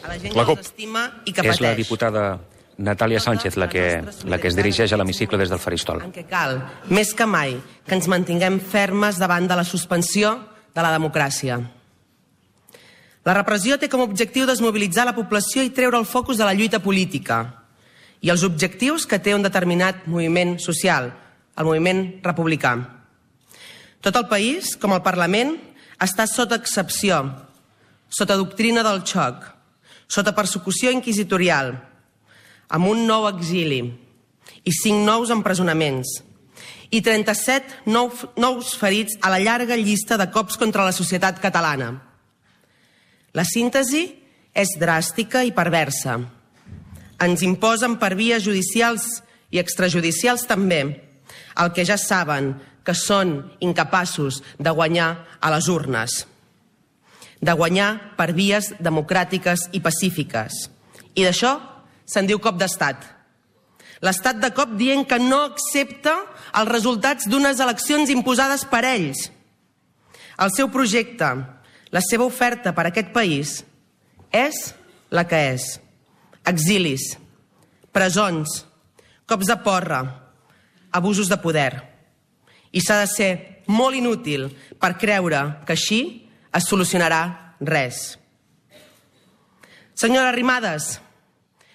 La CUP. És la diputada Natàlia Sánchez la que es dirigeix a l'hemicicle des del faristol. En què cal, més que mai, que ens mantinguem fermes davant de la suspensió de la democràcia. La repressió té com a objectiu desmobilitzar la població i treure el focus de la lluita política i els objectius que té un determinat moviment social, el moviment republicà. Tot el país, com el Parlament, està sota excepció, sota doctrina del xoc, sota persecució inquisitorial, amb un nou exili i 5 nous empresonaments i 37 nous ferits a la llarga llista de cops contra la societat catalana. La síntesi és dràstica i perversa. Ens imposen per vies judicials i extrajudicials també el que ja saben que són incapaços de guanyar a les urnes, de guanyar per vies democràtiques i pacífiques. I d'això se'n diu cop d'estat. L'estat de cop dient que no accepta els resultats d'unes eleccions imposades per ells. El seu projecte, la seva oferta per a aquest país és la que és. Exilis, presons, cops de porra, abusos de poder. I s'ha de ser molt inútil per creure que així es solucionarà res. Senyora Arrimadas,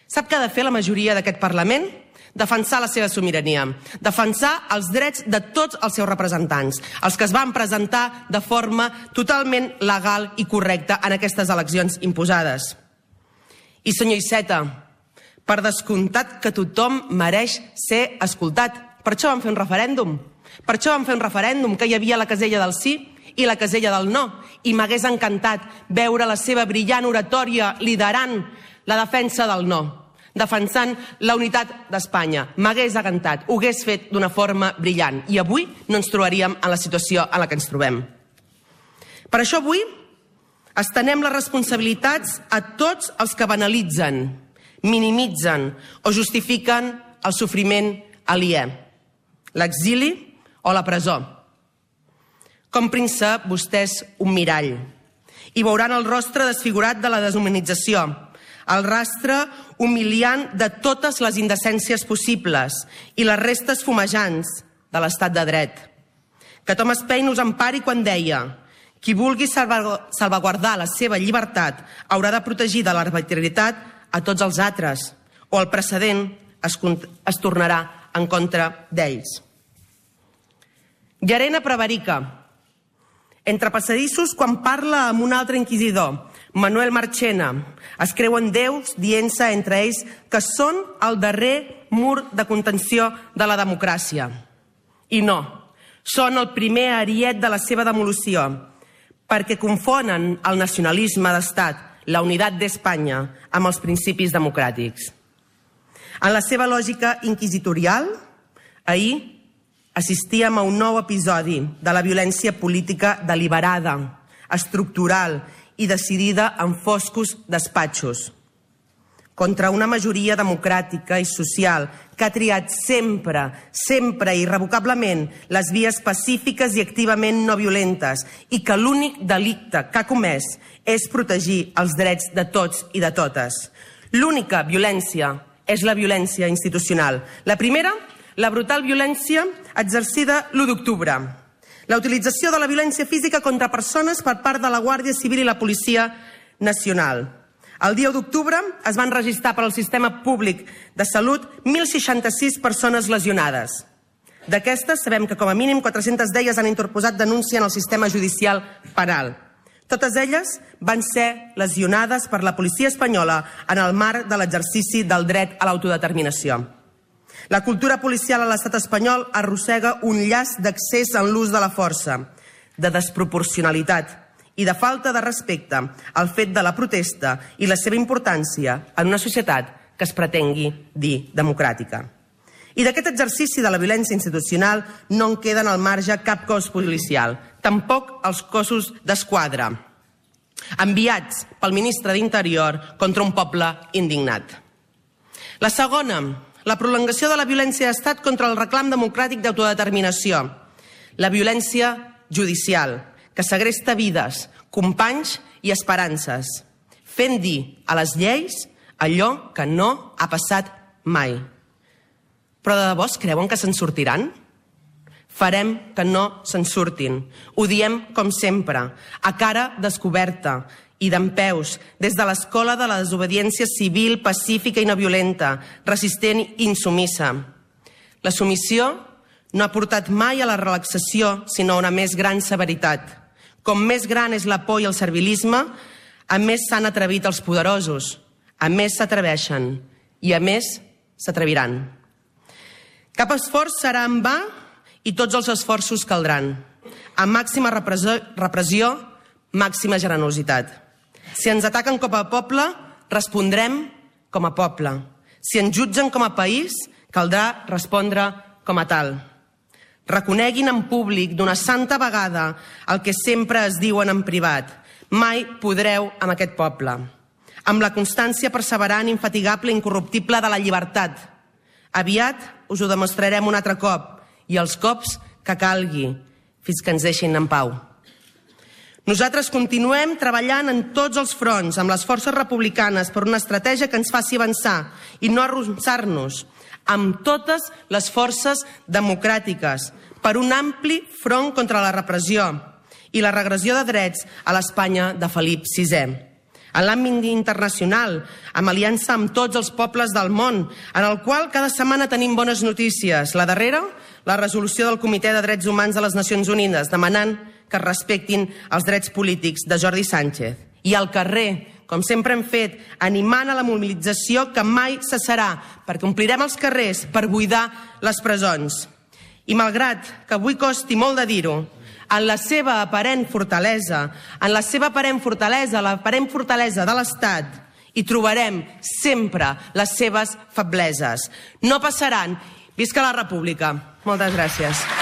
sap què ha de fer la majoria d'aquest Parlament? Defensar la seva sobirania, defensar els drets de tots els seus representants, els que es van presentar de forma totalment legal i correcta en aquestes eleccions imposades. I senyor Iceta, per descomptat que tothom mereix ser escoltat. Per això vam fer un referèndum. Per això vam fer un referèndum que hi havia la casella del sí i la casella del no. I m'hagués encantat veure la seva brillant oratòria liderant la defensa del no, defensant la unitat d'Espanya. M'hagués encantat, ho hagués fet d'una forma brillant. I avui no ens trobaríem en la situació en la que ens trobem. Per això avui estenem les responsabilitats a tots els que banalitzen, minimitzen o justifiquen el sofriment aliè, l'exili o la presó. Comprin se vostès un mirall i veuran el rostre desfigurat de la deshumanització, el rastre humiliant de totes les indecències possibles i les restes fumejants de l'estat de dret. Que Thomas Paine us empari quan deia: qui vulgui salvaguardar la seva llibertat haurà de protegir de l'arbitrarietat a tots els altres, o el precedent es tornarà en contra d'ells. Llarena prevarica. Entre passadissos, quan parla amb un altre inquisidor, Manuel Marchena, es creuen déus dient-se entre ells que són el darrer mur de contenció de la democràcia. I no, són el primer ariet de la seva demolició, perquè confonen el nacionalisme d'estat, la unitat d'Espanya, amb els principis democràtics. En la seva lògica inquisitorial, ahir assistíem a un nou episodi de la violència política deliberada, estructural i decidida en foscos despatxos, contra una majoria democràtica i social que ha triat sempre, sempre i irrevocablement les vies pacífiques i activament no violentes i que l'únic delicte que ha comès és protegir els drets de tots i de totes. L'única violència és la violència institucional. La primera, la brutal violència exercida l'1 d'octubre. La utilització de la violència física contra persones per part de la Guàrdia Civil i la Policia Nacional. El dia 1 d'octubre es van registrar per al Sistema Públic de Salut 1.066 persones lesionades. D'aquestes, sabem que com a mínim 400 d'elles han interposat denúncia en el sistema judicial penal. Totes elles van ser lesionades per la policia espanyola en el marc de l'exercici del dret a l'autodeterminació. La cultura policial a l'estat espanyol arrossega un llaç d'accés en l'ús de la força, de desproporcionalitat i de falta de respecte al fet de la protesta i la seva importància en una societat que es pretengui dir democràtica. I d'aquest exercici de la violència institucional no en queden al marge cap cos policial, tampoc els cossos d'esquadra, enviats pel ministre d'Interior contra un poble indignat. La segona, la prolongació de la violència d'estat contra el reclam democràtic d'autodeterminació, la violència judicial, que segresta vides, companys i esperances, fent dir a les lleis allò que no ha passat mai. Però de debò es creuen que se'n sortiran? Farem que no se'n surtin. Ho diem, com sempre, a cara descoberta i dempeus, des de l'escola de la desobediència civil, pacífica i no violenta, resistent i insumissa. La submissió no ha portat mai a la relaxació, sinó a una més gran severitat. Com més gran és la por i el servilisme, a més s'han atrevit els poderosos, a més s'atreveixen i a més s'atreviran. Cap esforç serà en va i tots els esforços caldran. Amb màxima repressió, màxima generositat. Si ens ataquen com a poble, respondrem com a poble. Si ens jutgen com a país, caldrà respondre com a tal. Reconeguin en públic d'una santa vegada el que sempre es diuen en privat. Mai podreu amb aquest poble. Amb la constància perseverant, infatigable i incorruptible de la llibertat. Aviat us ho demostrarem un altre cop, i els cops que calgui, fins que ens deixin en pau. Nosaltres continuem treballant en tots els fronts, amb les forces republicanes, per una estratègia que ens faci avançar i no arronsar-nos, amb totes les forces democràtiques, per un ampli front contra la repressió i la regressió de drets a l'Espanya de Felip VI. En l'àmbit internacional, amb aliança amb tots els pobles del món, en el qual cada setmana tenim bones notícies. La darrera, la resolució del Comitè de Drets Humans de les Nacions Unides, demanant que es respectin els drets polítics de Jordi Sánchez. I al carrer, com sempre hem fet, animant a la mobilització que mai cessarà, perquè omplirem els carrers per buidar les presons. I malgrat que avui costi molt de dir-ho, en la seva aparent fortalesa, l'aparent fortalesa de l'Estat, hi trobarem sempre les seves febleses. No passaran. Visca la República. Moltes gràcies.